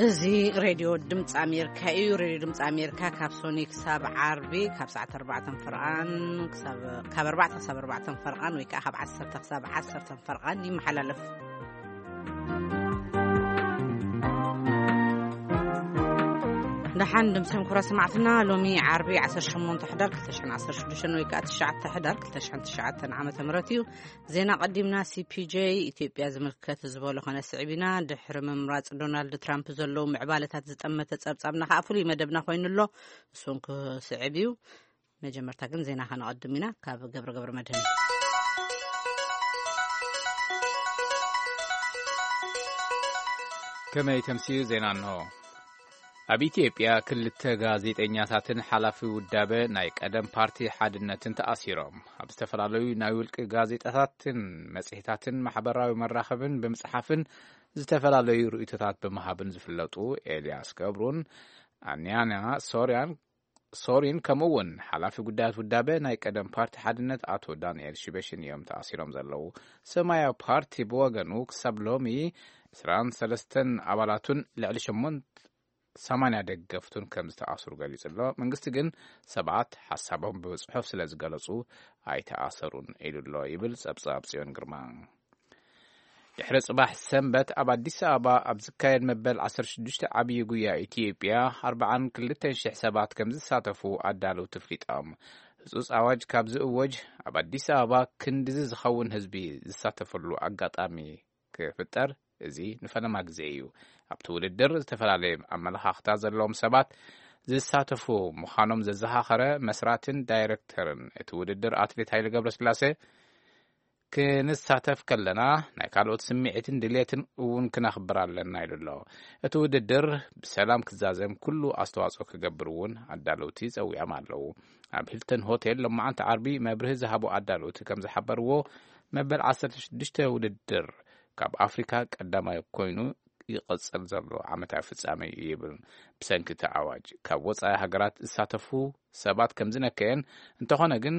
እዚ ሬድዮ ድምፂ ኣሜሪካ እዩ። ሬድዮ ድምፂ ኣሜሪካ ካብ ሶኒ ክሳብ ዓርቢ ካብ ሰዓት ኣርባዕተ ፈርቓን ክሳብ፣ ካብ ኣርባዕተ ክሳብ ኣርባዕተ ፈርቓን ወይ ከዓ ካብ ዓሰርተ ክሳብ ዓሰርተ ፈርቓን ይመሓላለፍ። ደሓን ድምፅን ኩራ ሰማዕትና፣ ሎሚ ዓርቢ ዓሰርተ ሸሞንተ ሕዳር ክልተ ሽሕን ዓሰርተ ሽዱሽተን ወይ ከዓ ትሽዓተ ሕዳር ክልተ ሽሕን ትሽዓተን ዓመተ ምህረት እዩ። ዜና ቀዲምና። ሲ ፒ ጄ ኢትዮጵያ ዝምልከት ዝበሎ ከነስዕብ ኢና። ድሕሪ ምምራጽ ዶናልድ ትራምፕ ዘለዉ ምዕባለታት ዝጠመተ ጸብጻብና ከኣ ፍሉይ መደብና ኮይኑ ኣሎ። እሱን ክስዕብ እዩ። መጀመርታ ግን ዜና ከነቐድም ኢና ካብ ገብረ ገብረ መድህን። ከመይ ተምስዩ ዜና እንሆ። ኣብ ኢትዮጵያ ክልተ ጋዜጠኛታትን ሓላፊ ውዳበ ናይ ቀደም ፓርቲ ሓድነትን ተኣሲሮም። ኣብ ዝተፈላለዩ ናይ ውልቂ ጋዜጣታትን መጽሔታትን ማሕበራዊ መራኸብን ብምጽሓፍን ዝተፈላለዩ ርእይቶታት ብምሃብን ዝፍለጡ ኤልያስ ገብሩን ኣንያና ሶርያን፣ ሶሪን፣ ከምኡ እውን ሓላፊ ጉዳያት ውዳበ ናይ ቀደም ፓርቲ ሓድነት ኣቶ ዳንኤል ሽበሽን እዮም ተኣሲሮም ዘለዉ። ሰማያዊ ፓርቲ ብወገኑ ክሳብ ሎሚ ዕስራን ሰለስተን ኣባላቱን ልዕሊ ሸሞንተ ሰማንያ ደገፍቱን ከም ዝተኣስሩ ገሊጹ ኣሎ። መንግስቲ ግን ሰባት ሓሳቦም ብጽሑፍ ስለ ዝገለጹ ኣይተኣሰሩን ኢሉ ኣሎ ይብል ጸብጻብ ጽዮን ግርማ። ድሕሪ ጽባሕ ሰንበት ኣብ ኣዲስ ኣበባ ኣብ ዝካየድ መበል ዓሰርተ ሽዱሽተ ዓብዪ ጉያ ኢትዮጵያ ኣርባዓን ክልተን ሽሕ ሰባት ከም ዝሳተፉ ኣዳለውቲ ኣፍሊጦም። ህጹጽ ኣዋጅ ካብ ዝእወጅ ኣብ ኣዲስ ኣበባ ክንድዚ ዝኸውን ህዝቢ ዝሳተፈሉ ኣጋጣሚ ክፍጠር እዚ ንፈለማ ግዜ እዩ። ኣብቲ ውድድር ዝተፈላለየ ኣመለኻኽታ ዘለዎም ሰባት ዝሳተፉ ምዃኖም ዘዘኻኸረ መስራትን ዳይሬክተርን እቲ ውድድር ኣትሌት ሃይለ ገብረስላሴ፣ ክንሳተፍ ከለና ናይ ካልኦት ስምዒትን ድሌትን እውን ክነኽብር ኣለና ኢሉ ኣሎ። እቲ ውድድር ብሰላም ክዛዘም ኩሉ ኣስተዋጽኦ ክገብር እውን ኣዳለውቲ ጸዊዖም ኣለዉ። ኣብ ሂልተን ሆቴል ሎማዓንቲ ዓርቢ መብርሂ ዝሃቡ ኣዳለውቲ ከም ዝሓበርዎ፣ መበል ዓሰርተ ሽዱሽተ ውድድር ካብ ኣፍሪካ ቀዳማይ ኮይኑ ይቕጽል ዘሎ ዓመታዊ ፍጻመ እዩ ይብል። ብሰንኪ እቲ ኣዋጅ ካብ ወጻኢ ሃገራት ዝሳተፉ ሰባት ከም ዝነከየን፣ እንተኾነ ግን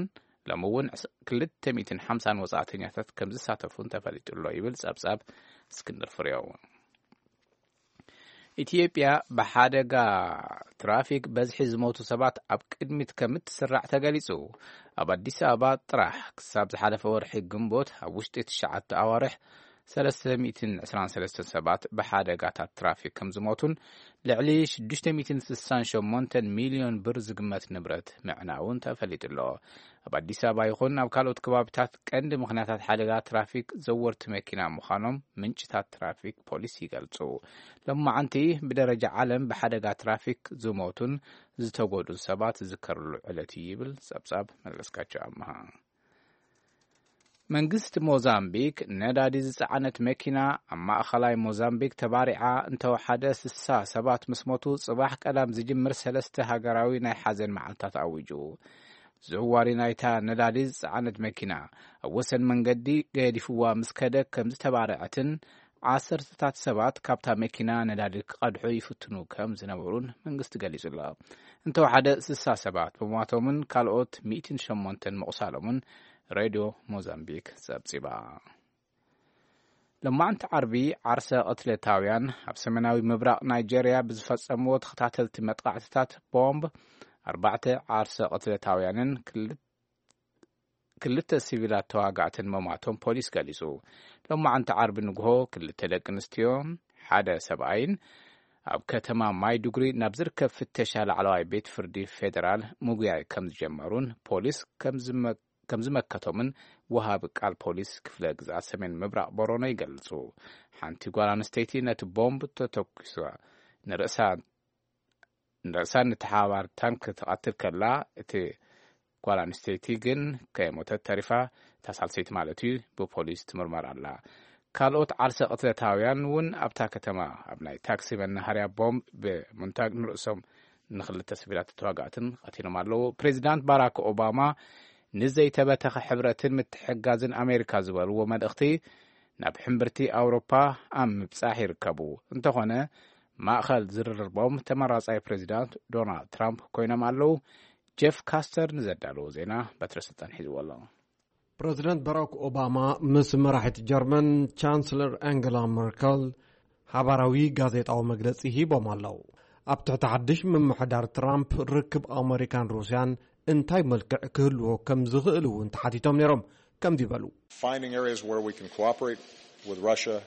ሎሚ እውን ክልተ ሚእትን ሓምሳን ወጻእተኛታት ከም ዝሳተፉን ተፈሊጡ ኣሎ ይብል ጸብጻብ እስክንድር ፍሬው። ኢትዮጵያ ብሓደጋ ትራፊክ በዝሒ ዝሞቱ ሰባት ኣብ ቅድሚት ከም እትስራዕ ተገሊጹ። ኣብ ኣዲስ ኣበባ ጥራሕ ክሳብ ዝሓለፈ ወርሒ ግንቦት ኣብ ውሽጢ ትሽዓተ ኣዋርሕ ሰለስተ ሚእትን ዕስራን ሰለስተን ሰባት ብሓደጋታት ትራፊክ ከም ዝሞቱን ልዕሊ ሽዱሽተ ሚእትን ስሳን ሸሞንተን ሚልዮን ብር ዝግመት ንብረት ምዕናውን ተፈሊጡ ኣሎ። ኣብ ኣዲስ ኣበባ ይኹን ኣብ ካልኦት ከባቢታት ቀንዲ ምኽንያታት ሓደጋ ትራፊክ ዘወርቲ መኪና ምዃኖም ምንጭታት ትራፊክ ፖሊስ ይገልጹ። ሎማዓንቲ ብደረጃ ዓለም ብሓደጋ ትራፊክ ዝሞቱን ዝተጎዱን ሰባት ዝዝከርሉ ዕለት እዩ ይብል ጸብጻብ መለስካቸው ኣምሃ። መንግስቲ ሞዛምቢክ ነዳዲ ዝጸዓነት መኪና ኣብ ማእኸላይ ሞዛምቢክ ተባሪዓ እንተወሓደ ስሳ ሰባት ምስ ሞቱ፣ ጽባሕ ቀዳም ዝጅምር ሰለስተ ሃገራዊ ናይ ሓዘን መዓልታት ኣዊጁ። ዘዋሪ ናይታ ነዳዲ ዝጸዓነት መኪና ኣብ ወሰን መንገዲ ገዲፍዋ ምስ ከደ ከም ዝተባረዐትን ዓሰርተታት ሰባት ካብታ መኪና ነዳዲ ክቐድሑ ይፍትኑ ከም ዝነበሩን መንግስቲ ገሊጹ ኣሎ። እንተወሓደ ስሳ ሰባት ምሟቶምን ካልኦት ሚእትን ሸሞንተን ምቑሳሎምን ሬድዮ ሞዛምቢክ ጸብጺባ። ሎማዕንቲ ዓርቢ ዓርሰ ቅትለታውያን ኣብ ሰሜናዊ ምብራቕ ናይጄርያ ብዝፈጸምዎ ተኸታተልቲ መጥቓዕትታት ቦምብ ኣርባዕተ ዓርሰ ቅትለታውያንን ክል-፣ ክልተ ሲቪላት ተዋጋእትን መማቶም ፖሊስ ገሊጹ። ሎማዕንቲ ዓርቢ ንግሆ ክልተ ደቂ ኣንስትዮን ሓደ ሰብኣይን ኣብ ከተማ ማይዱግሪ ናብ ዝርከብ ፍተሻ ላዕለዋይ ቤት ፍርዲ ፌደራል ምጉያይ ከም ዝጀመሩን ፖሊስ ከም ዝመ-፣ ከም ዝመከቶምን ወሃቢ ቃል ፖሊስ ክፍለ ግዝኣት ሰሜን ምብራቕ ቦሮኖ ይገልጹ። ሓንቲ ጓል ኣንስተይቲ ነቲ ቦምብ ተተኩሳ ንርእሳ፣ ንርእሳን ንተሓባርታን ክትቐትል ከላ፣ እቲ ጓል ኣንስተይቲ ግን ከይሞተት ተሪፋ፣ እታ ሳልሰይቲ ማለት እዩ፣ ብፖሊስ ትምርመር ኣላ። ካልኦት ዓርሰ ቅትለታውያን እውን ኣብታ ከተማ ኣብ ናይ ታክሲ መናሃርያ ቦምብ ብምንታግ ንርእሶም ንክልተ ሲቪላት ተዋጋእትን ቀቲሎም ኣለዉ። ፕሬዚዳንት ባራክ ኦባማ ንዘይተበተኸ ሕብረትን ምትሕጋዝን ኣሜሪካ ዝበልዎ መልእኽቲ ናብ ሕምብርቲ ኣውሮፓ ኣብ ምብጻሕ ይርከቡ። እንተኾነ ማእኸል ዝርርቦም ተመራጻይ ፕሬዚዳንት ዶናልድ ትራምፕ ኮይኖም ኣለዉ። ጀፍ ካስተር ንዘዳለዎ ዜና በትረ ስልጣን ሒዝዎ ኣሎ። ፕረዚደንት ባራክ ኦባማ ምስ መራሒት ጀርመን ቻንስለር ኣንገላ መርከል ሓባራዊ ጋዜጣዊ መግለጺ ሂቦም ኣለዉ። ኣብ ትሕቲ ሓድሽ ምምሕዳር ትራምፕ፣ ርክብ ኣመሪካን ሩስያን እንታይ መልክዕ ክህልዎ ከም ዝኽእል እውን ተሓቲቶም ነይሮም። ከምዚ በሉ። Finding areas where we can cooperate with Russia,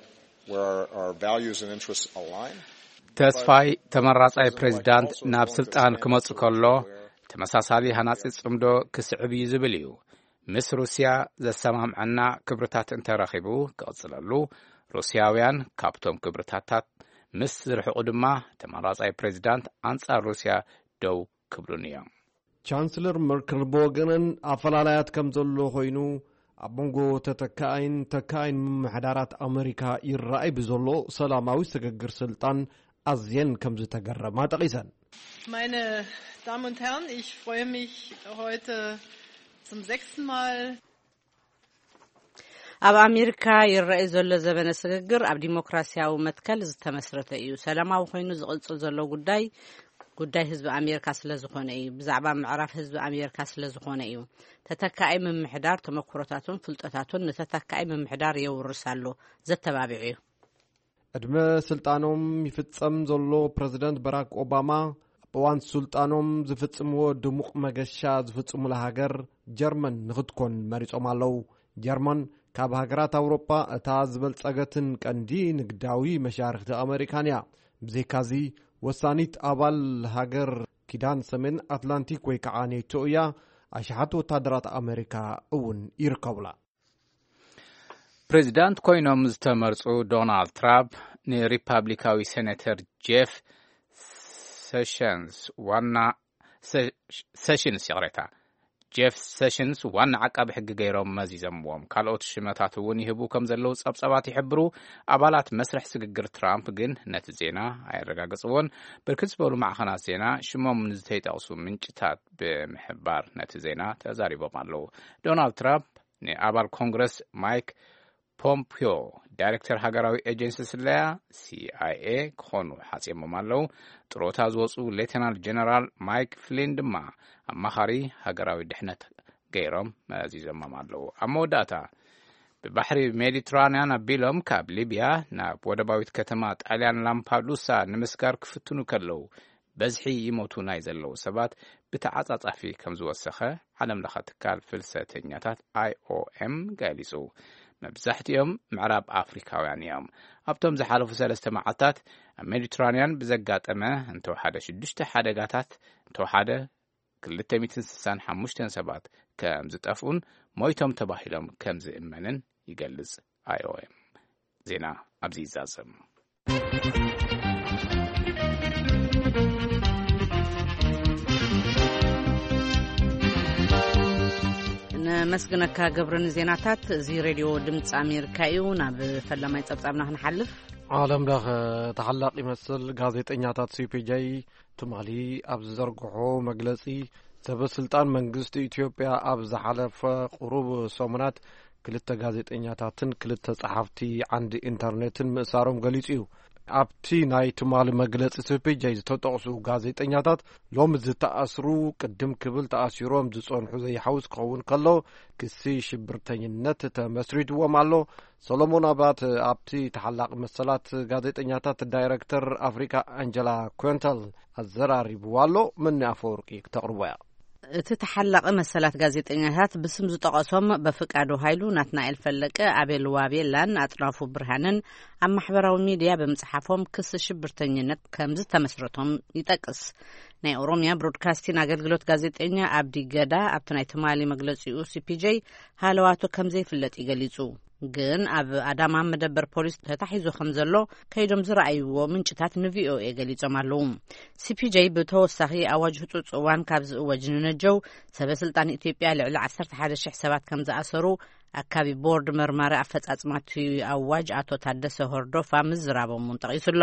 where our, our values and interests align. ተስፋይ፣ ተመራጻይ ፕሬዚዳንት ናብ ስልጣን ክመጽእ ከሎ፣ ተመሳሳሊ ሃናጺ ጽምዶ ክስዕብ እዩ ዝብል እዩ። ምስ ሩስያ ዘሰማምዐና ክብርታት እንተረኺቡ ክቕጽለሉ፣ ሩስያውያን ካብቶም ክብርታታት ምስ ዝርሕቑ ድማ፣ ተመራጻይ ፕሬዚዳንት ኣንጻር ሩስያ ደው ክብሉን እዮም። ቻንስለር መርክል ብወገነን፣ ኣፈላላያት ከም ዘሎ ኮይኑ፣ ኣብ መንጎ ተተካኣይን ተካኣይን ምምሕዳራት ኣመሪካ ይረኣይ ብዘሎ ሰላማዊ ስግግር ስልጣን ኣዝየን ከም ዝተገረማ ጠቒሰን። Meine Damen und Herren, ich freue mich heute zum sechsten Mal. ኣብ ኣሜሪካ ይረኣይ ዘሎ ዘበነ ስግግር ኣብ ዲሞክራሲያዊ መትከል ዝተመስረተ እዩ። ሰላማዊ ኮይኑ ዝቕጽል ዘሎ ጉዳይ፣ ጉዳይ ህዝቢ ኣሜሪካ ስለ ዝኾነ እዩ። ብዛዕባ ምዕራፍ ህዝቢ ኣሜሪካ ስለ ዝኾነ እዩ። ተተካኣይ ምምሕዳር ተመክሮታቱን ፍልጠታቱን ንተተካኣይ ምምሕዳር የውርስ ኣሎ፣ ዘተባብዕ እዩ። ዕድመ ስልጣኖም ይፍጸም ዘሎ ፕረዚደንት በራክ ኦባማ፣ ኣብ እዋን ስልጣኖም ዝፍጽምዎ ድሙቕ መገሻ ዝፍጽሙላ ሃገር ጀርመን ንኽትኮን መሪጾም ኣለዉ። ጀርመን ካብ ሃገራት ኣውሮጳ እታ ዝበልጸገትን ቀንዲ ንግዳዊ መሻርኽቲ ኣመሪካን እያ። ብዘይካዚ፣ ወሳኒት ኣባል ሃገር ኪዳን ሰሜን ኣትላንቲክ ወይ ከዓ ኔቶ እያ። ኣሽሓት ወታደራት ኣመሪካ እውን ይርከቡላ። ፕሬዚዳንት ኮይኖም ዝተመርጹ ዶናልድ ትራምፕ ንሪፓብሊካዊ ሴኔተር ጄፍ ሴሽንስ ዋና፣ ሴ-፣ ሴሽንስ፣ ይቕሬታ፣ ጄፍ ሴሽንስ ዋና ዓቃቢ ሕጊ ገይሮም መዚዘምዎም። ካልኦት ሽመታት እውን ይህቡ ከም ዘለዉ ጸብጸባት ይሕብሩ። ኣባላት መስርሕ ስግግር ትራምፕ ግን ነቲ ዜና ኣየረጋገጽዎን። ብርክት ዝበሉ ማዕኸናት ዜና ሽሞም ንዝተይጠቕሱ ምንጭታት ብምሕባር ነቲ ዜና ተዛሪቦም ኣለዉ። ዶናልድ ትራምፕ ንኣባል ኮንግረስ ማይክ ፖምፒዮ፣ ዳይሬክተር ሃገራዊ ኤጀንሲ ስለያ፣ ሲ ኣይ ኤ፣ ክኾኑ ሓጺሞም ኣለዉ። ጥሮታ ዝወጹ ሌተናል ጀነራል ማይክ ፍሊን ድማ ኣማኻሪ ሃገራዊ ድሕነት ገይሮም መዚዞሞም ኣለዉ። ኣብ መወዳእታ፣ ብባሕሪ ሜዲትራንያን ኣቢሎም ካብ ሊብያ ናብ ወደባዊት ከተማ ጣልያን ላምፓዱሳ ንምስጋር ክፍትኑ ከለዉ፣ በዝሒ ይሞቱ ናይ ዘለዉ ሰባት ብተዓጻጻፊ ከም ዝወሰኸ ዓለም ለኸ ትካል ፍልሰተኛታት ኣይ ኦ ኤም ገሊጹ። መብዛሕትኦም ምዕራብ ኣፍሪካውያን እዮም። ኣብቶም ዝሓለፉ ሰለስተ መዓልታት ኣብ ሜዲትራንያን ብዘጋጠመ እንተወሓደ ሽዱሽተ ሓደጋታት፣ እንተወሓደ ክልተ ሚእትን ስሳን ሓሙሽተን ሰባት ከም ዝጠፍኡን ሞይቶም ተባሂሎም ከም ዝእመንን ይገልጽ ኣይ ኦ ኤም። ዜና ኣብዚ ይዛዘም። ነመስግነካ ገብረ ንዜናታት። እዚ ሬድዮ ድምፂ ኣሜሪካ እዩ። ናብ ፈላማይ ጸብጻብና ክንሓልፍ። ዓለም ለኸ ተሓላቂ መስል ጋዜጠኛታት ሲ ፒ ጄ ትማሊ ኣብ ዝዘርግሖ መግለጺ፣ ሰበ ስልጣን መንግስቲ ኢትዮጵያ ኣብ ዝሓለፈ ቁሩብ ሰሙናት ክልተ ጋዜጠኛታትን ክልተ ጸሓፍቲ ዓንዲ ኢንተርኔትን ምእሳሮም ገሊጹ እዩ። ኣብቲ ናይ ትማሊ መግለጺ ሲ ፒ ጄ ዝተጠቕሱ ጋዜጠኛታት ሎሚ ዝተኣስሩ ቅድም ክብል ተኣሲሮም ዝጸንሑ ዘይሓውስ ክኸውን ከሎ፣ ክሲ ሽብርተኝነት ተመስሪትዎም ኣሎ። ሰሎሞን ኣባት ኣብቲ ተሓላቂ መሰላት ጋዜጠኛታት ዳይረክተር ኣፍሪካ ኣንጀላ ኮንተል ኣዘራሪብዋ ኣሎ። መኒ ኣፈወርቂ ክተቕርቦ እያ። እቲ ተሓላቂ መሰላት ጋዜጠኛታት ብስም ዝጠቐሶም በፍቃዱ ሃይሉ፣ ናትናኤል ፈለቀ፣ ኣቤል ዋቤላን ኣጥናፉ ብርሃንን ኣብ ማሕበራዊ ሚድያ ብምጽሓፎም ክሲ ሽብርተኝነት ከም ዝተመስረቶም ይጠቅስ። ናይ ኦሮሚያ ብሮድካስቲን ኣገልግሎት ጋዜጠኛ ኣብዲ ገዳ ኣብቲ ናይ ትማሊ መግለጺኡ ሲ ፒ ጄ ሃለዋቱ ከም ዘይፍለጥ ይገሊጹ። ግን ኣብ ኣዳማ መደበር ፖሊስ ተታሒዙ ከም ዘሎ ከይዶም ዝረኣይዎ ምንጭታት ን ቪ ኦ ኤ ገሊጾም ኣለዉ። ሲ ፒ ጄ ብተወሳኺ ኣዋጅ ህጹጽ እዋን ካብ ዝእወጅ ንነጀው ሰበ ስልጣን ኢትዮጵያ ልዕሊ ዓሰርተ ሓደ ሽሕ ሰባት ከም ዝኣሰሩ ኣካቢ ቦርድ መርማሪ ኣፈጻጽማ እቲ ኣዋጅ ኣቶ ታደሰ ሆርዶፋ ምዝራቦም እውን ጠቒሱ ኣሎ።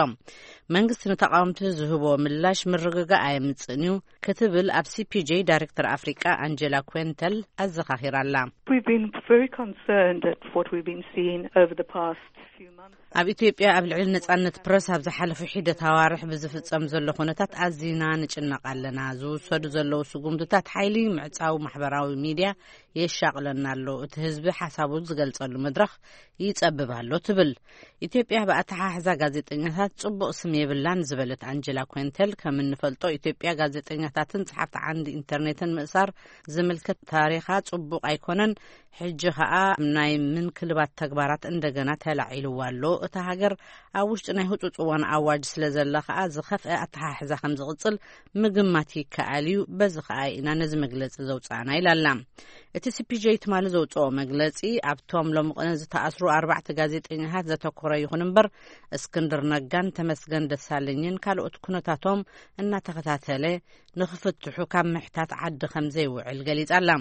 መንግስቲ ንተቓወምቲ ዝህቦ ምላሽ ምርግጋእ ኣየምጽእን እዩ ክትብል ኣብ ሲ ፒ ጄ ዳይሬክተር ኣፍሪቃ ኣንጀላ ኮንተል ኣዘኻኺራ ኣላ። We've been very concerned at what we've been seeing over the past few months. ኣብ ኢትዮጵያ ኣብ ልዕሊ ነጻነት ፕረስ ኣብ ዝሓለፉ ሒደት ኣዋርሕ ብዝፍጸም ዘሎ ኩነታት ኣዚና ንጭነቕ ኣለና። ዝውሰዱ ዘለዉ ስጉምትታት ሓይሊ ምዕጻው ማሕበራዊ ሚድያ የሻቕለና ኣሎ። እቲ ህዝቢ ሓሳቡ ዝገልጸሉ መድረኽ ይጸብብ ኣሎ ትብል። ኢትዮጵያ ብኣተሓሕዛ ጋዜጠኛታት ጽቡቕ ስም የብላን ዝበለት ኣንጀላ ኮንቴል፣ ከም እንፈልጦ ኢትዮጵያ ጋዜጠኛታትን ጸሓፍቲ ዓንዲ ኢንተርኔትን ምእሳር ዝምልከት ታሪኻ ጽቡቕ ኣይኮነን። ሕጂ ኸኣ ናይ ምንክልባት ተግባራት እንደገና ተላዒልዋ ኣሎ። እታ ሃገር ኣብ ውሽጢ ናይ ህጹጽ እዋን ኣዋጅ ስለ ዘላ ኸኣ ዝኸፍአ ኣተሓሕዛ ከም ዝቕጽል ምግማት ይከኣል እዩ። በዚ ኸኣ ኢና ነዚ መግለጺ ዘውጻእና ኢላ ኣላ። እቲ ሲ ፒ ጄ ትማሊ ዘውጽኦ መግለጺ ኣብቶም ሎሚ ቅነ ዝተኣስሩ ኣርባዕተ ጋዜጠኛታት ዘተኮረ ይኹን እምበር እስክንድር ነጋን ተመስገን ደሳለኝን ካልኦት ኩነታቶም እናተኸታተለ ንኽፍትሑ ካብ ምሕታት ዓዲ ከም ዘይውዕል ገሊጻ ኣላ።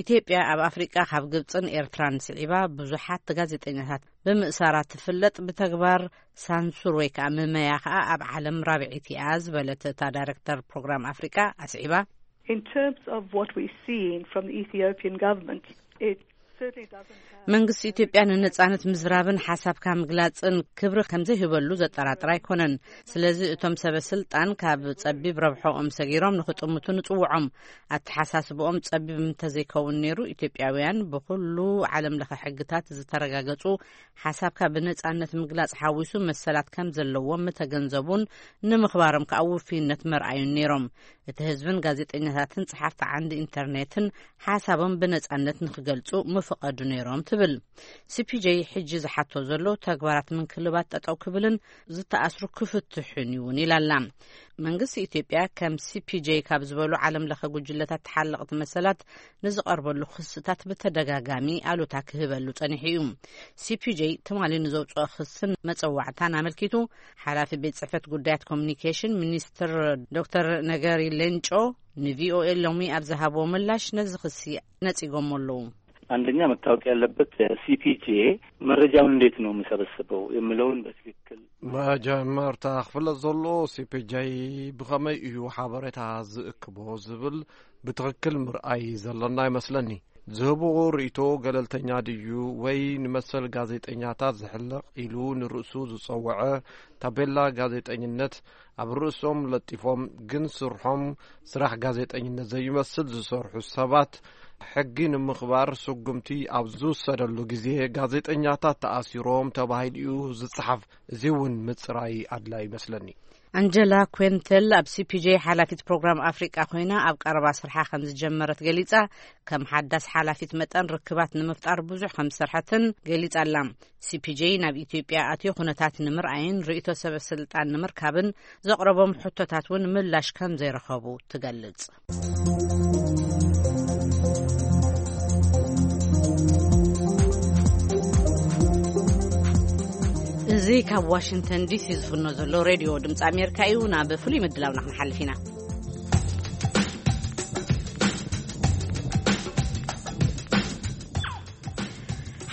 ኢትዮጵያ ኣብ ኣፍሪቃ ካብ ግብጽን ኤርትራን ስዒባ ብዙሓት ጋዜጠኛታት ብምእሳራ ትፍለጥ። ብተግባር ሳንሱር ወይ ከዓ ምመያ ከዓ ኣብ ዓለም ራብዒት እያ ዝበለት እታ ዳይሬክተር ፕሮግራም ኣፍሪቃ ኣስዒባ። In terms of what we're seeing from the Ethiopian government, it certainly doesn't have መንግስቲ ኢትዮጵያ ንነጻነት ምዝራብን ሓሳብካ ምግላጽን ክብሪ ከም ዘይህበሉ ዘጠራጥር ኣይኮነን። ስለዚ እቶም ሰበ ስልጣን ካብ ጸቢብ ረብሖኦም ሰጊሮም ንኽጥምቱ ንጽውዖም። ኣተሓሳስብኦም ጸቢብ እንተዘይከውን ነይሩ፣ ኢትዮጵያውያን ብኹሉ ዓለም ለኸ ሕግታት ዝተረጋገጹ ሓሳብካ ብነጻነት ምግላጽ ሓዊሱ መሰላት ከም ዘለዎም ምተገንዘቡን ንምኽባሮም ከኣ ውፍይነት መርኣዩን ነይሮም። እቲ ህዝብን ጋዜጠኛታትን ጸሓፍቲ ዓንዲ ኢንተርኔትን ሓሳቦም ብነጻነት ንኽገልጹ ምፍቐዱ ነይሮም ትብል። ሲ ፒ ጄ ሕጂ ዝሓቶ ዘሎ ተግባራት ምንክልባት ጠጠው ክብልን ዝተኣስሩ ክፍትሑን ይውን ኢላላ። መንግስቲ ኢትዮጵያ ከም ሲ ፒ ጄ ካብ ዝበሉ ዓለም ለኸ ጉጅለታት ተሓለቕቲ መሰላት ንዝቐርበሉ ክስታት ብተደጋጋሚ ኣሉታ ክህበሉ ጸኒሑ እዩ። ሲ ፒ ጄ ትማሊ ንዘውፅኦ ክስን መጸዋዕታን ኣመልኪቱ ሓላፊ ቤት ጽሕፈት ጉዳያት ኮሚኒኬሽን ሚኒስትር ዶክተር ነገሪ ሌንጮ ን ቪ ኦ ኤ ሎሚ ኣብ ዝሃብዎ ምላሽ ነዚ ክሲ ነጺጎሞ ኣለዉ። አንደኛ መታወቅ ያለበት ሲ ፒ ጄ መረጃውን እንዴት ነው የሚሰበስበው የሚለውን በትክክል መጀመርታ ክፍለጥ ዘለዎ ሲ ፒ ጄ ብኸመይ እዩ ሓበሬታ ዝእክቦ ዝብል ብትኽክል ምርኣይ ዘለና ይመስለኒ። ዝህብዎ ርእይቶ ገለልተኛ ድዩ ወይ ንመሰል ጋዜጠኛታት ዝሕለቕ ኢሉ ንርእሱ ዝጸውዐ ታቤላ ጋዜጠኝነት ኣብ ርእሶም ለጢፎም ግን ስርሖም ስራሕ ጋዜጠኝነት ዘይመስል ዝሰርሑ ሰባት ሕጊ ንምኽባር ስጉምቲ ኣብ ዝውሰደሉ ግዜ ጋዜጠኛታት ተኣሲሮም ተባሂሉ እዩ ዝጸሓፍ። እዚ እውን ምጽራይ ኣድላይ ይመስለኒ። ኣንጀላ ኩንተል ኣብ ሲ ፒ ጄ ሓላፊት ፕሮግራም ኣፍሪቃ ኮይና ኣብ ቀረባ ስርሓ ከም ዝጀመረት ገሊጻ፣ ከም ሓዳስ ሓላፊት መጠን ርክባት ንምፍጣር ብዙሕ ከም ዝሰርሐትን ገሊጻ ኣላ። ሲ ፒ ጄ ናብ ኢትዮጵያ ኣትዩ ኩነታት ንምርኣይን ርእይቶ ሰበ ስልጣን ንምርካብን ዘቕረቦም ሕቶታት እውን ምላሽ ከም ዘይረኸቡ ትገልጽ። እዚ ካብ ዋሽንግተን ዲ ሲ ዝፍኖ ዘሎ ሬድዮ ድምፂ ኣሜሪካ እዩ። ናብ ፍሉይ ምድላውና ክንሓልፍ ኢና።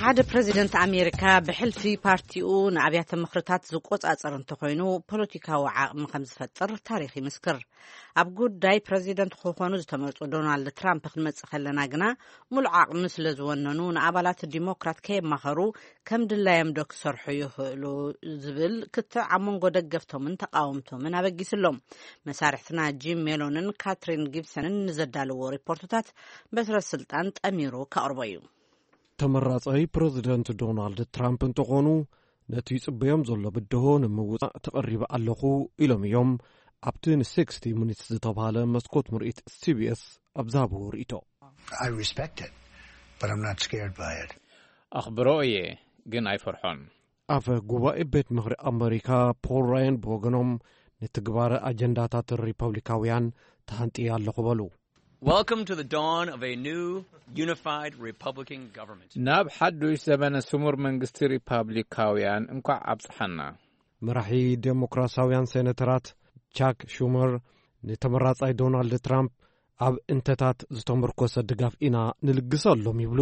ሓደ ፕረዚደንት ኣሜሪካ ብሕልፊ ፓርቲኡ ንኣብያተ ምኽርታት ዝቆጻጸር እንተኾይኑ ፖለቲካዊ ዓቕሚ ከም ዝፈጥር ታሪኽ ይምስክር። ኣብ ጉዳይ ፕረዚደንት ክኾኑ ዝተመርጹ ዶናልድ ትራምፕ ክንመጽእ ከለና ግና ሙሉእ ዓቕሚ ስለ ዝወነኑ ንኣባላት ዲሞክራት ከየማኸሩ ከም ድላዮም ዶ ክሰርሑ ይኽእሉ ዝብል ክትዕ ኣብ መንጎ ደገፍቶምን ተቃወምቶምን ኣበጊሱ ኣሎ። መሳርሕትና ጂም ሜሎንን ካትሪን ጊብሰንን ንዘዳለዎ ሪፖርትታት በትረ ስልጣን ጠሚሩ ከቕርቦ እዩ። ተመራጻይ ፕረዚደንት ዶናልድ ትራምፕ እንተኾኑ ነቲ ይጽበዮም ዘሎ ብድሆ ንምውጻእ ተቐሪበ ኣለኹ ኢሎም እዮም ኣብቲ ን ሲክስቲ ሚኒትስ ዝተባህለ መስኮት ምርኢት ሲ ቢ ኤስ ኣብ ዝሃብዎ ርእይቶ። I respect it, but I'm not scared by it. ኣኽብሮ እየ ግን ኣይፈርሖን። ኣፈ ጉባኤ ቤት ምኽሪ ኣመሪካ ፖል ራያን ብወገኖም ንትግባረ ኣጀንዳታት ሪፐብሊካውያን ተሃንጥየ ኣለኹ በሉ። Welcome to the dawn of a new unified Republican government. ናብ ሓዱሽ ዘበነ ስሙር መንግስቲ ሪፓብሊካውያን እንኳዕ ኣብጽሓና። መራሒ ዴሞክራሲያውያን ሴኔተራት ቻክ ሹመር ንተመራጻይ ዶናልድ ትራምፕ ኣብ እንተታት ዝተመርኮሰ ድጋፍ ኢና ንልግሰሎም ይብሉ።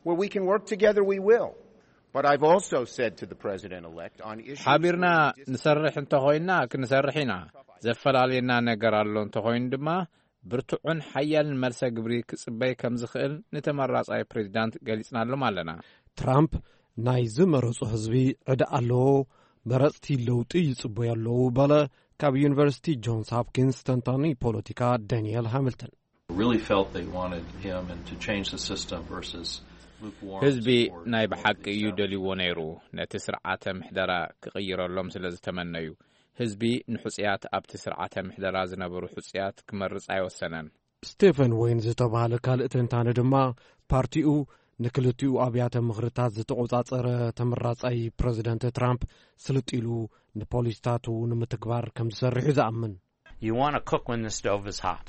Where we can work together, we will. But I've also said to the president-elect on issues ሓቢርና ንሰርሕ እንተኾይንና ክንሰርሕ ኢና። ዘፈላለየና ነገር ኣሎ እንተኾይኑ ድማ ብርቱዕን ሓያልን መልሰ ግብሪ ክጽበይ ከም ዝኽእል ንተመራጻይ ፕሬዚዳንት ገሊጽናሎም ኣለና። ትራምፕ ናይ ዝመረጹ ህዝቢ ዕዳ ኣለዎ፣ መረጽቲ ለውጢ ይጽበዩ ኣለዉ፣ በለ ካብ ዩኒቨርሲቲ ጆንስ ሆፕኪንስ ተንታኒ ፖለቲካ ዳንኤል ሃሚልተን። Really felt they wanted him and to change the system versus lukewarm ህዝቢ support ናይ for ብሓቂ the እዩ establishment. ደልይዎ ነይሩ። ነቲ ስርዓተ ምሕደራ ክቕይረሎም ስለ ዝተመነዩ፣ ህዝቢ ንሕጹያት ኣብቲ ስርዓተ ምሕደራ ዝነበሩ ሕጹያት ክመርጽ ኣይወሰነን። ስቴፈን ወይን ዝተባህለ ካልእ ተንታኒ ድማ፣ ፓርቲኡ ንክልቲኡ ኣብያተ ምኽርታት ዝተቖጻጸረ ተመራጻይ ፕረዚደንት ትራምፕ ስልጥ ኢሉ ንፖሊሲታቱ ንምትግባር ከም ዝሰርሕ እዩ ዝኣምን። You want to cook when the stove is hot,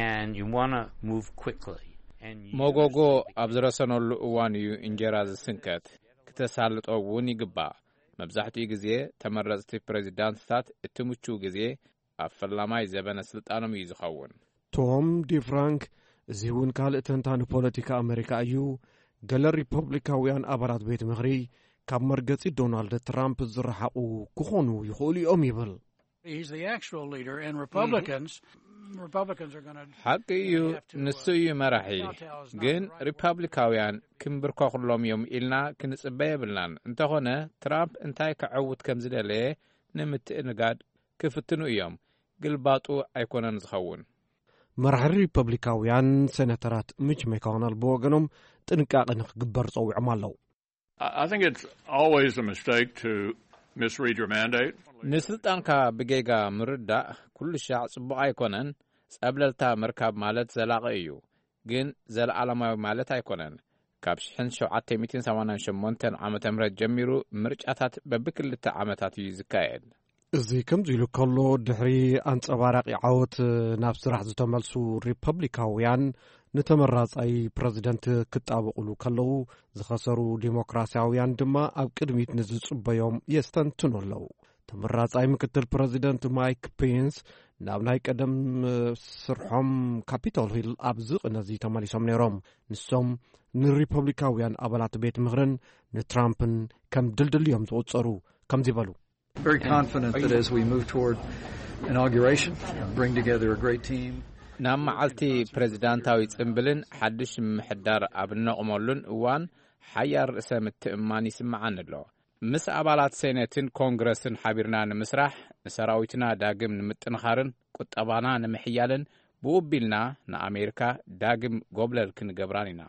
and you want to move quickly. And you መጎጎ ኣብ ዝረሰነሉ እዋን እዩ እንጀራ ዝስንከት። ክተሳልጦ እውን ይግባእ። መብዛሕትኡ ግዜ ተመረጽቲ ፕሬዚዳንትታት እቲ ምቹው ግዜ ኣብ ፈላማይ ዘበነ ስልጣኖም እዩ ዝኸውን። ቶም ዲፍራንክ፣ እዚ እውን ካልእ ተንታኒ ፖለቲካ ኣመሪካ እዩ፣ ገለ ሪፐብሊካውያን ኣባላት ቤት ምኽሪ ካብ መርገጺ ዶናልድ ትራምፕ ዝረሓቑ ክኾኑ ይኽእሉ እዮም ይብል። He's the actual leader, and Republicans, Republicans are going to ሓቂ እዩ፣ ንሱ እዩ መራሒ። ግን ሪፐብሊካውያን ክንብርከኹሎም እዮም ኢልና ክንጽበ የብልናን። እንተኾነ ትራምፕ እንታይ ከዐውት ከም ዝደለየ ንምትእንጋድ ክፍትኑ እዮም። ግልባጡ ኣይኮነን ዝኸውን። መራሒ ሪፐብሊካውያን ሴናተራት ሚች ማኮነል ብወገኖም ጥንቃቄ ንክግበር ጸዊዖም ኣለዉ። I I think it's always a mistake to misread your mandate. ንስልጣንካ ብጌጋ ምርዳእ ኩሉ ሻዕ ጽቡቕ ኣይኮነን። ጸብለልታ ምርካብ ማለት ዘላቒ እዩ፣ ግን ዘለዓለማዊ ማለት ኣይኮነን። ካብ ሸውዓተ ሚእትን ሰማንያን ሸሞንተን ዓመተ ምህረት ጀሚሩ ምርጫታት በብክልተ ዓመታት እዩ ዝካየድ። እዚ ከምዚ ኢሉ ከሎ፣ ድሕሪ ኣንጸባራቂ ዓወት ናብ ስራሕ ዝተመልሱ ሪፐብሊካውያን ንተመራጻይ ፕረዚደንት ክጣበቑሉ ከለዉ፣ ዝኸሰሩ ዲሞክራሲያውያን ድማ ኣብ ቅድሚት ንዝጽበዮም የስተንትኑ ኣለዉ። ተመራጻይ ምክትል ፕረዚደንት ማይክ ፔንስ ናብ ናይ ቀደም ስርሖም ካፒቶል ሂል ኣብዚ ቅነዚ ተመሊሶም ነይሮም። ንሶም ንሪፐብሊካውያን ኣባላት ቤት ምኽርን ንትራምፕን ከም ድልድል እዮም ዝቑጸሩ። ከምዚ በሉ። Very confident that as we move toward inauguration, bring together a great team. ናብ መዓልቲ ፕሬዚዳንታዊ ጽምብልን ሓድሽ ምሕዳር ኣብ እነቕመሉን እዋን ሓያል ርእሰ ምትእምማን ይስምዓኒ ኣሎ። ምስ ኣባላት ሴኔትን ኮንግረስን ሓቢርና ንምስራሕ፣ ንሰራዊትና ዳግም ንምጥንኻርን ቁጠባና ንምሕያልን፣ ብኡ ኣቢልና ንኣሜሪካ ዳግም ጎብለል ክንገብራን ኢና።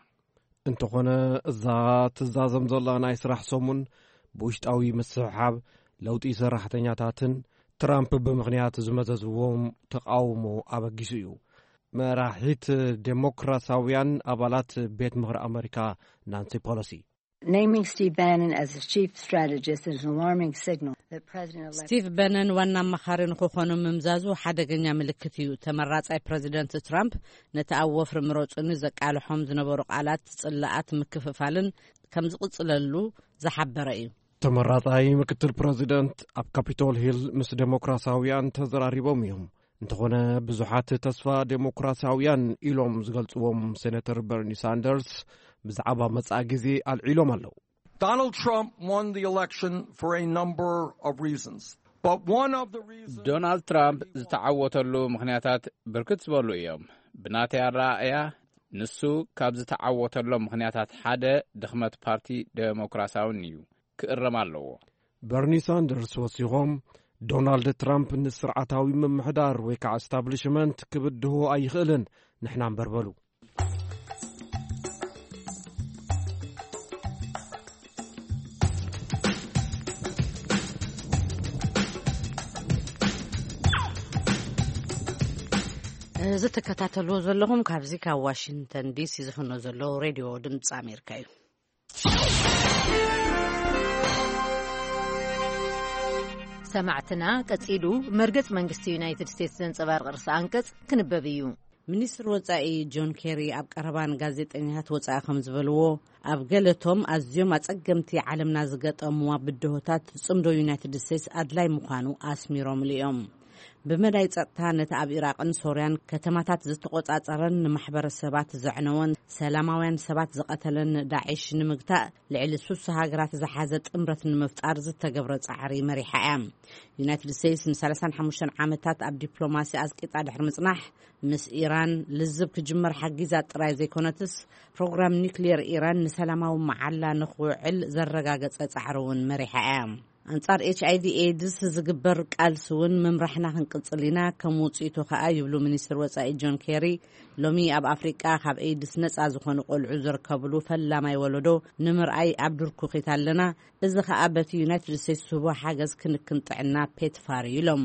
እንተኾነ፣ እዛ ትዛዘም ዘላ ናይ ስራሕ ሰሙን ብውሽጣዊ ምስሕሓብ፣ ለውጢ ሰራሕተኛታትን ትራምፕ ብምኽንያት ዝመዘዝዎም ተቓውሞ ኣበጊሱ እዩ። መራሒት ዴሞክራሲያውያን ኣባላት ቤት ምኽሪ ኣመሪካ ናንሲ ፖሎሲ። Naming Steve Bannon as the chief strategist is an alarming signal that President-elect ስቲቭ በነን ዋና ኣማኻሪ ንክኾኑ ምምዛዙ ሓደገኛ ምልክት እዩ። ተመራጻይ ፕረዚደንት ትራምፕ ነቲ ኣብ ወፍሪ ምረጹኒ ዘቃልሖም ዝነበሩ ቃላት ጽላኣት ምክፍፋልን ከም ዝቕጽለሉ ዝሓበረ እዩ። ተመራጻይ ምክትል ፕረዚደንት ኣብ ካፒቶል ሂል ምስ ዴሞክራሲያውያን ተዘራሪቦም እዮም። እንተኾነ፣ ብዙሓት ተስፋ ዴሞክራሲያውያን ኢሎም ዝገልጽዎም ሴኔተር በርኒ ሳንደርስ ብዛዕባ መጻኢ ግዜ ኣልዒሎም ኣለዉ። Donald Trump won the election for a number of reasons, but one of the reasons ዶናልድ ትራምፕ ዝተዓወተሉ ምኽንያታት ብርክት ዝበሉ እዮም። ብናተይ ኣረኣእያ፣ ንሱ ካብ ዝተዓወተሎም ምኽንያታት ሓደ ድኽመት ፓርቲ ዴሞክራሲያውን እዩ፣ ክእረም ኣለዎ። በርኒ ሳንደርስ ወሲኾም፣ ዶናልድ ትራምፕ ንስርዓታዊ ምምሕዳር ወይ ከዓ ስታብሊሽመንት ክብድሆ ኣይኽእልን፣ ንሕና እምበር በሉ። እዚ ትከታተልዎ ዘለኹም ካብዚ ካብ ዋሽንግተን ዲሲ ዝፍኖ ዘሎ ሬድዮ ድምፂ ኣሜሪካ እዩ። ሰማዕትና፣ ቀጺሉ መርገጽ መንግስቲ ዩናይትድ ስቴትስ ዘንጸባርቕ ርእሰ ኣንቀጽ ክንበብ እዩ። ሚኒስትር ወጻኢ ጆን ኬሪ ኣብ ቀረባ ንጋዜጠኛታት ወጻኢ ከም ዝበልዎ፣ ኣብ ገለቶም ኣዝዮም ኣጸገምቲ ዓለምና ዝገጠምዋ ብድሆታት፣ ጽምዶ ዩናይትድ ስቴትስ ኣድላይ ምዃኑ ኣስሚሮምሉ እዮም። ብመዳይ ጸጥታ፣ ነቲ ኣብ ኢራቕን ሶርያን ከተማታት ዝተቖጻጸረን ንማሕበረሰባት ዘዕነወን ሰላማውያን ሰባት ዝቐተለን ዳዒሽ ንምግታእ፣ ልዕሊ ሱሳ ሃገራት ዝሓዘ ጥምረት ንምፍጣር ዝተገብረ ጻዕሪ መሪሓ እያ። ዩናይትድ ስቴትስ ን35 ዓመታት ኣብ ዲፕሎማሲ ኣዝቂጣ ድሕሪ ምጽናሕ፣ ምስ ኢራን ልዝብ ክጅመር ሓጊዛ ጥራይ ዘይኮነትስ፣ ፕሮግራም ኒክሊየር ኢራን ንሰላማዊ መዓላ ንኽውዕል ዘረጋገጸ ጻዕሪ እውን መሪሓ እያ። ኣንጻር ኤች ኣይ ቪ ኤድስ ዝግበር ቃልሲ እውን ምምራሕና ክንቅጽል ኢና፣ ከም ውጽኢቱ ከኣ ይብሉ ሚኒስትር ወጻኢ ጆን ኬሪ። ሎሚ ኣብ ኣፍሪቃ ካብ ኤድስ ነጻ ዝኾኑ ቆልዑ ዝርከብሉ ፈላማይ ወለዶ ንምርኣይ ኣብ ድርኩኺት ኣለና። እዚ ከኣ በቲ ዩናይትድ ስቴትስ ዝህቦ ሓገዝ ክንክን ጥዕና ፔትፋር እዩ ኢሎም።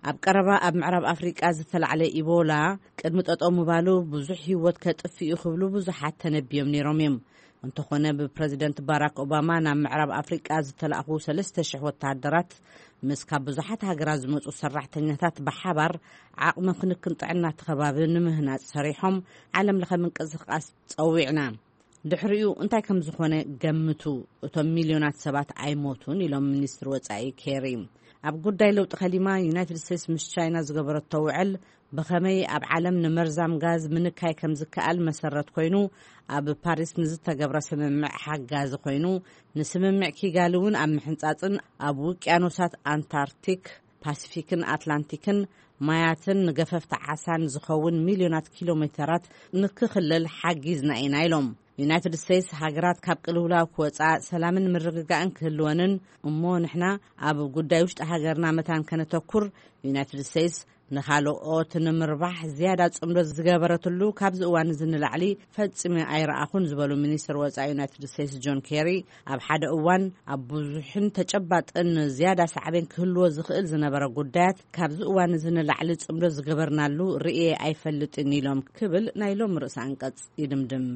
ኣብ ቀረባ ኣብ ምዕራብ ኣፍሪቃ ዝተላዕለ ኢቦላ ቅድሚ ጠጠው ምባሉ ብዙሕ ህይወት ከጥፍእ እዩ ክብሉ ብዙሓት ተነብዮም ነይሮም እዮም። እንተኾነ ብፕረዚደንት ባራክ ኦባማ ናብ ምዕራብ ኣፍሪቃ ዝተላእኹ 3,000 ወተሃደራት ምስ ካብ ብዙሓት ሃገራት ዝመጹ ሰራሕተኛታት ብሓባር ዓቕሚ ክንክን ጥዕና እቲ ከባቢ ንምህናጽ ሰሪሖም ዓለም ለኸ ምንቅስቃስ ጸዊዕና። ድሕሪኡ እንታይ ከም ዝኾነ ገምቱ፣ እቶም ሚልዮናት ሰባት ኣይሞቱን ኢሎም ሚኒስትር ወጻኢ ኬሪ። ኣብ ጉዳይ ለውጢ ከሊማ ዩናይትድ ስቴትስ ምስ ቻይና ዝገበረቶ ውዕል ብኸመይ ኣብ ዓለም ንመርዛም ጋዝ ምንካይ ከም ዝከኣል መሰረት ኮይኑ፣ ኣብ ፓሪስ ንዝተገብረ ስምምዕ ሓጋዚ ኮይኑ፣ ንስምምዕ ኪጋሊ እውን ኣብ ምሕንጻጽን ኣብ ውቅያኖሳት ኣንታርክቲክ፣ ፓሲፊክን ኣትላንቲክን ማያትን ንገፈፍቲ ዓሳን ዝኸውን ሚልዮናት ኪሎ ሜተራት ንክኽለል ሓጊዝና ኢና ኢሎም። ዩናይትድ ስቴትስ ሃገራት ካብ ቅልውላው ክወጻ፣ ሰላምን ምርግጋእን ክህልወንን፣ እሞ ንሕና ኣብ ጉዳይ ውሽጢ ሃገርና መታን ከነተኩር፣ ዩናይትድ ስቴትስ ንኻልኦት ንምርባሕ ዝያዳ ጽምዶ ዝገበረትሉ፣ ካብዚ እዋን እዚ ንላዕሊ ፈጺመ ኣይረኣኹን ዝበሉ ሚኒስትር ወጻኢ ዩናይትድ ስቴትስ ጆን ኬሪ፣ ኣብ ሓደ እዋን ኣብ ብዙሕን ተጨባጥን ዝያዳ ሳዕቤን ክህልዎ ዝኽእል ዝነበረ ጉዳያት ካብዚ እዋን እዚ ንላዕሊ ጽምዶ ዝገበርናሉ ርእየ ኣይፈልጥን ኢሎም ክብል ናይ ሎም ርእሰ ኣንቀጽ ይድምድም።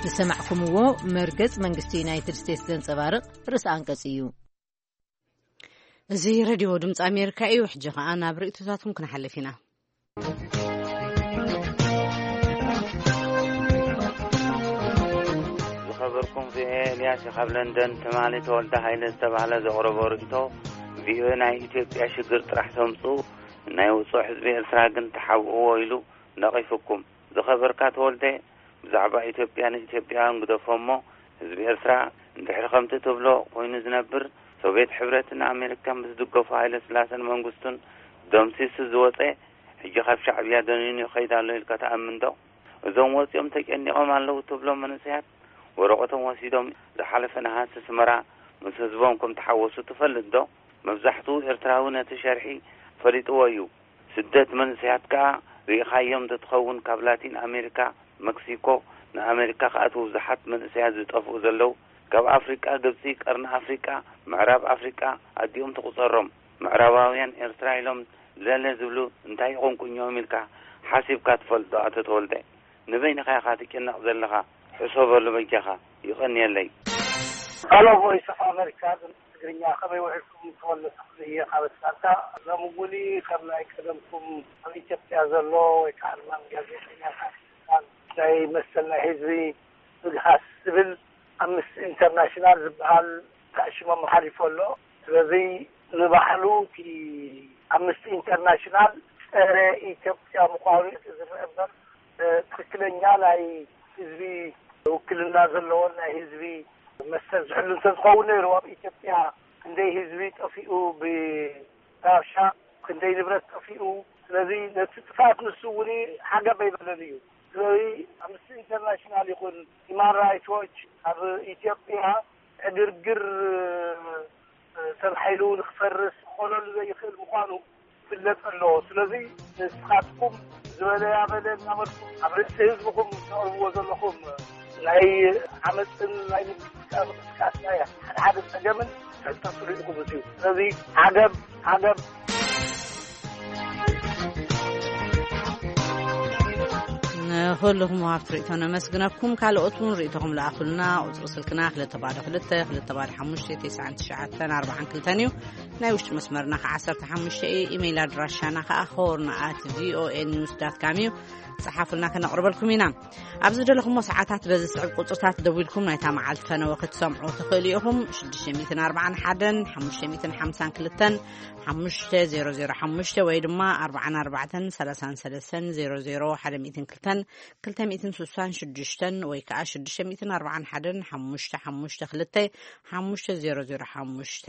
ዝሰማዕኩምዎ መርገጽ መንግስቲ ዩናይትድ ስቴትስ ዘንጸባርቕ ርእሰ ኣንቀጽ እዩ። እዚ ሬድዮ ድምፂ ኣሜሪካ እዩ። ሕጂ ኸኣ ናብ ርእይቶታትኩም ክንሓልፍ ኢና። ዝኸበርኩም ቪኦኤ፣ ኤልያስ ካብ ለንደን ትማሊ ተወልደ ሃይለ ዝተባህለ ዘቕረቦ ርእይቶ፣ ቪኦኤ ናይ ኢትዮጵያ ሽግር ጥራሕ ተምጽኡ፣ ናይ ውጹዕ ህዝቢ ኤርትራ ግን ተሓብእዎ ኢሉ ነቒፍኩም። ዝኸበርካ ተወልደ፣ ብዛዕባ ኢትዮጵያ ንኢትዮጵያውያን ግደፎ እሞ፣ ህዝቢ ኤርትራ እንድሕሪ ከምቲ ትብሎ ኮይኑ ዝነብር፣ ሶቪየት ሕብረትን ኣሜሪካን ብዝድገፉ ሃይለ ስላሰን መንግስቱን ደምሲሱ ዝወጸ፣ ሕጂ ካብ ሻዕብያ ደኒኑ ይኸይድ ኣሎ ኢልካ ትኣምን ዶ? እዞም ወጺኦም ተጨኒቖም ኣለዉ ትብሎም መንእሰያት፣ ወረቐቶም ወሲዶም ዝሓለፈ ነሃሲ ኣስመራ ምስ ህዝቦም ከም ተሓወሱ ትፈልጥ ዶ? መብዛሕትኡ ኤርትራዊ ነቲ ሸርሒ ፈሊጥዎ እዩ። ስደት መንእሰያት ከኣ ርኢኻዮም ተትኸውን፣ ካብ ላቲን ኣሜሪካ፣ መክሲኮ ንኣሜሪካ ክኣትዉ ብዙሓት መንእሰያት ዝጠፍኡ ዘለዉ፣ ካብ ኣፍሪቃ ግብጺ፣ ቀርኒ ኣፍሪቃ፣ ምዕራብ ኣፍሪቃ ኣዲኦም ትቑጸሮም። ምዕራባውያን ኤርትራ ኢሎም ለለ ዝብሉ እንታይ ይቑንቁኞም ኢልካ ሓሲብካ ትፈልጥ ዶ? ኣቶ ተወልደ፣ ንበይንኻ ኢኻ ትጭነቕ ዘለኻ፣ ሕሰበሉ በጃኻ። ይቐንየለይ። ሄሎ፣ ቮይስ ኦፍ ኣሜሪካ። ትግርኛ፣ ከመይ ውዒልኩም? ተወልደ ተኽሉ እየ ካብ ኣትላንታ። ሎሚ እውን ከም ናይ ቀደምኩም ኣብ ኢትዮጵያ ዘሎ ወይ ከዓ ድማ ጋዜጠኛታት ናይ መሰል ናይ ህዝቢ ምግሃስ ዝብል ኣምነስቲ ኢንተርናሽናል ዝበሃል ተኣሽሞም ሓሊፉ ኣሎ። ስለዚ ንባዕሉ እቲ ኣምነስቲ ኢንተርናሽናል ጸረ ኢትዮጵያ ምዃኑ እዩ ዝረአ እምበር፣ እ፣ ትኽክለኛ ናይ ህዝቢ ውክልና ዘለዎን ናይ ህዝቢ መሰል ዝሕሉ እንተዝኸውን ነይሩ፣ ኣብ ኢትዮጵያ ክንደይ ህዝቢ ጠፊኡ ብራብሻ፣ ክንደይ ንብረት ጠፊኡ። ስለዚ ነቲ ጥፍኣት ንሱ እውን ሓገብ ኣይበለን እዩ። ስለዚ ኣምነስቲ ኢንተርናሽናል ይኹን ሂማን ራይትስ ዎች ኣብ ኢትዮጵያ ዕግርግር፣ እ፣ ሰብ ሓይሉ ንክፈርስ ክኾነሉ ዘይኽእል ምዃኑ ይፍለጥ ኣሎ። ስለዚ ንስኻትኩም ዝበለ ያበለ እናበልኩም ኣብ ርእሲ ህዝብኹም ተቕርብዎ ዘለኹም ናይ ዓመፅን ናይ ምንቅስቃስ ናይ ሓደ ሓደ ፀገምን ተጠርጥሩ ኢኹም። እዚ ስለዚ ዓገብ ዓገብ። ንኹልኹም ወሃብቲ ርእይቶ ነመስግነኩም። ካልኦት እውን ርእይቶኹም ለኣኹልና። ቁፅሪ ስልክና ክልተ ባዶ ክልተ፣ ክልተ ባዶ ሓሙሽተ፣ ተስዓን ትሽዓተን፣ ኣርባዓን ክልተን እዩ። ናይ ውሽጢ መስመርና ከዓ ዓሰርተ ሓሙሽተ እዩ። ኢሜይል ኣድራሻና ከዓ ሆርን ኣት ቪኦኤ ኒውስ ዳት ካም እዩ። ጸሓፉልና፣ ከነቕርበልኩም ኢና። ኣብ ዝደለኹሞ ሰዓታት በዚ ስዕብ ቁጽርታት ደዊልኩም ናይታ መዓልቲ ፈነወ ክትሰምዑ ትኽእሉ ኢኹም። ሽዱሽተ ሚእትን ኣርባዓን ሓደን ሓሙሽተ ሚእትን ሓምሳን ክልተን ሓሙሽተ ዜሮ ዜሮ ሓሙሽተ ወይ ድማ ኣርባዓን ኣርባዕተን ሰላሳን ሰለስተን ዜሮ ዜሮ ሓደ ሚእትን ክልተን ክልተ ሚእትን ስሳን ሽዱሽተን ወይ ከኣ ሽዱሽተ ሚእትን ኣርባዓን ሓደን ሓሙሽተ ሓሙሽተ ክልተ ሓሙሽተ ዜሮ ዜሮ ሓሙሽተ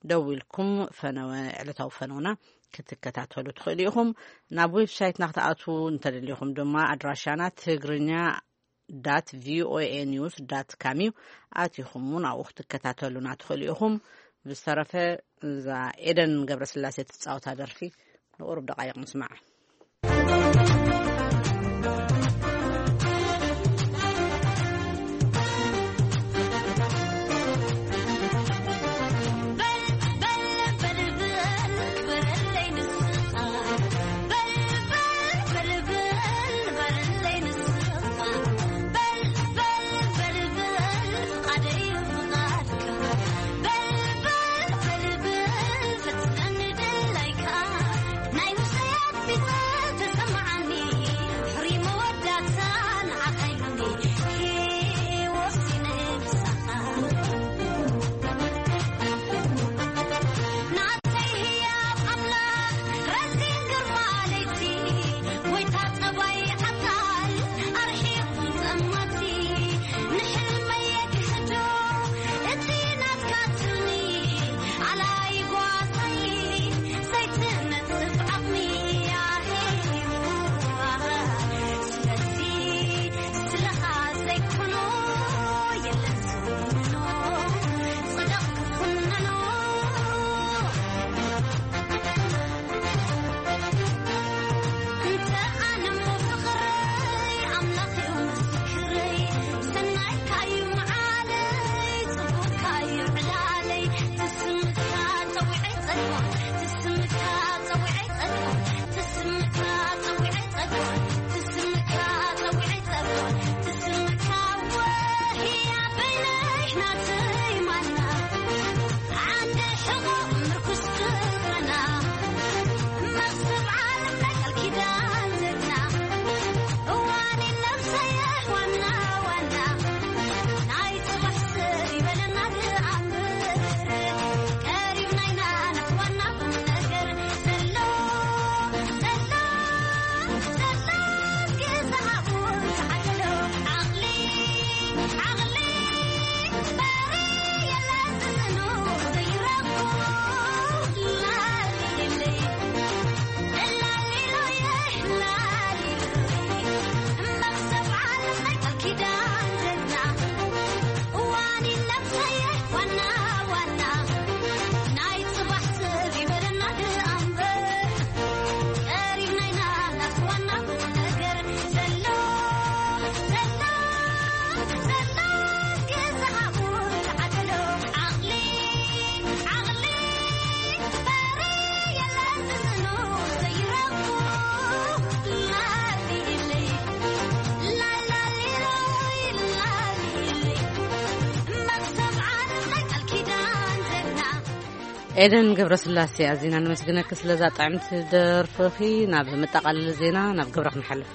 ደዊልኩም ፈነወ፣ ዕለታዊ ፈነውና ክትከታተሉ ትኽእሉ ኢኹም። ናብ ዌብሳይትና ክትኣትዉ እንተደሊኹም ድማ ኣድራሻና ትግርኛ ዳት ቪኦኤ ኒውስ ዳት ካም እዩ። ኣቲኹም እውን ኣብኡ ክትከታተሉና ትኽእሉ ኢኹም። ብዝተረፈ እዛ ኤደን ገብረስላሴ ትጻወታ ደርፊ ንቁሩብ ደቃይቕ ንስማዕ። ኤደን ገብረስላሴ፣ ኣዚና ነመስግነኪ ስለዛ ጥዕምቲ ደርፍኺ። ናብ መጠቓለሊ ዜና ናብ ግብረ ክንሓልፍ።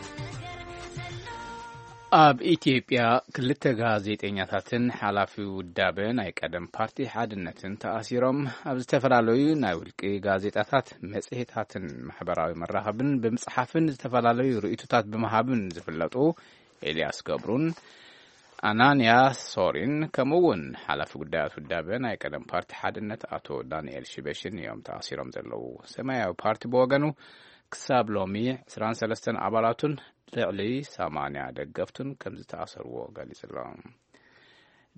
ኣብ ኢትዮጵያ ክልተ ጋዜጠኛታትን ሓላፊ ውዳበ ናይ ቀደም ፓርቲ ሓድነትን ተኣሲሮም፣ ኣብ ዝተፈላለዩ ናይ ውልቂ ጋዜጣታት፣ መጽሔታትን ማሕበራዊ መራኸብን ብምጽሓፍን ዝተፈላለዩ ርእይቶታት ብምሃብን ዝፍለጡ ኤልያስ ገብሩን ኣናንያ ሶሪን፣ ከምኡ እውን ሓላፊ ጉዳያት ውዳበ ናይ ቀደም ፓርቲ ሓድነት ኣቶ ዳንኤል ሽበሽን እዮም ተኣሲሮም ዘለዉ። ሰማያዊ ፓርቲ ብወገኑ ክሳብ ሎሚ ዕስራን ሰለስተን ኣባላቱን ልዕሊ ሰማንያ ደገፍቱን ከም ዝተኣሰርዎ ገሊጹ ኣሎ።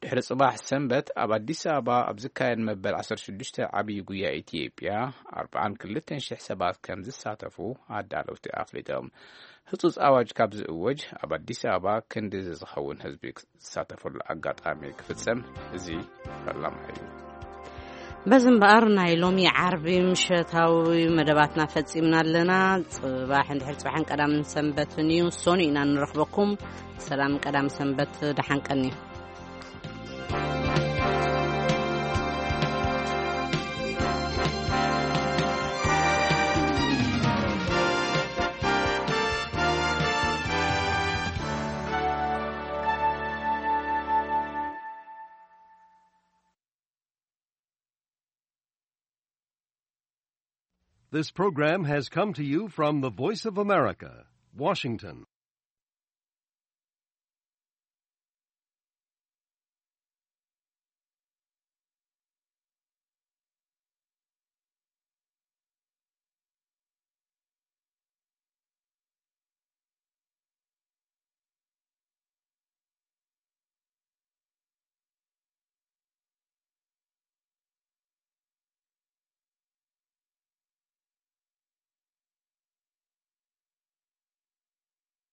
ድሕሪ ጽባሕ ሰንበት ኣብ ኣዲስ ኣበባ ኣብ ዝካየድ መበል ዓሰርተ ሽዱሽተ ዓብዪ ጉያ ኢትዮጵያ ኣርብዓን ክልተን ሽሕ ሰባት ከም ዝሳተፉ ኣዳለውቲ ኣፍሊጦም። ህጹጽ ኣዋጅ ካብ ዝእወጅ ኣብ ኣዲስ ኣበባ ክንዲ ዝኸውን ህዝቢ ዝሳተፈሉ ኣጋጣሚ ክፍጸም እዚ ፈላማይ እዩ። በዚ እምበኣር ናይ ሎሚ ዓርቢ ምሸታዊ መደባትና ፈጺምና ኣለና። ጽባሕ እንድሕር ጽባሕን ቀዳምን ሰንበትን እዩ። ሶኒ ኢና ንረኽበኩም። ሰላም ቀዳም ሰንበት፣ ደሓን ቀኒ። This program has come to you from the Voice of America, Washington.